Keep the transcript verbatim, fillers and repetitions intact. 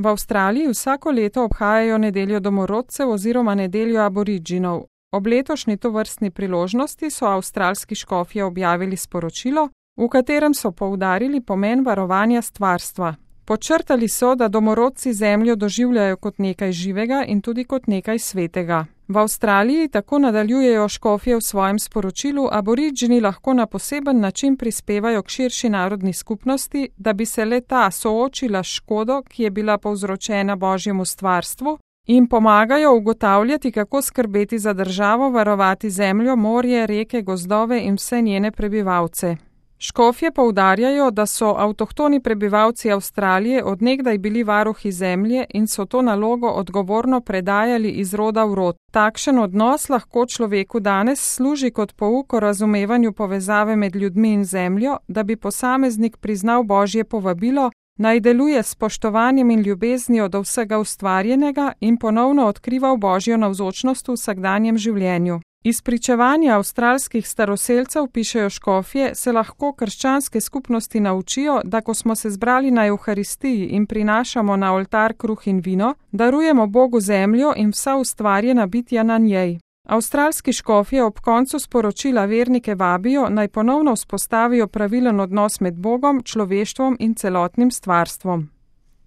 V Avstraliji vsako leto obhajajo nedeljo domorodcev oziroma nedeljo aboriginov. Ob letošnji tovrstni priložnosti so avstralski škofje objavili sporočilo, v katerem so poudarili pomen varovanja stvarstva. Podčrtali so, da domorodci zemljo doživljajo kot nekaj živega in tudi kot nekaj svetega. V Avstraliji tako nadaljujejo škofje v svojem sporočilu, aborigini lahko na poseben način prispevajo k širši narodni skupnosti, da bi se le ta soočila s škodo, ki je bila povzročena Božjemu stvarstvu, in pomagajo ugotavljati, kako skrbeti za državo, varovati zemljo, morje, reke, gozdove in vse njene prebivalce. Škofje poudarjajo, da so avtohtoni prebivalci Avstralije od nekdaj bili varuhi zemlje in so to nalogo odgovorno predajali iz roda v rod. Takšen odnos lahko človeku danes služi kot pouk o razumevanju povezave med ljudmi in zemljo, da bi posameznik priznal Božje povabilo, naj deluje s spoštovanjem in ljubeznijo do vsega ustvarjenega in ponovno odkrival Božjo navzočnost v vsakdanjem življenju. Iz pričevanja avstralskih staroselcev, pišejo škofje, se lahko krščanske skupnosti naučijo, da ko smo se zbrali na Evharistiji in prinašamo na oltar kruh in vino, darujemo Bogu zemljo in vsa ustvarjena bitja na njej. Avstralski škofje ob koncu sporočila vernike vabijo, naj ponovno vzpostavijo pravilen odnos med Bogom, človeštvom in celotnim stvarstvom.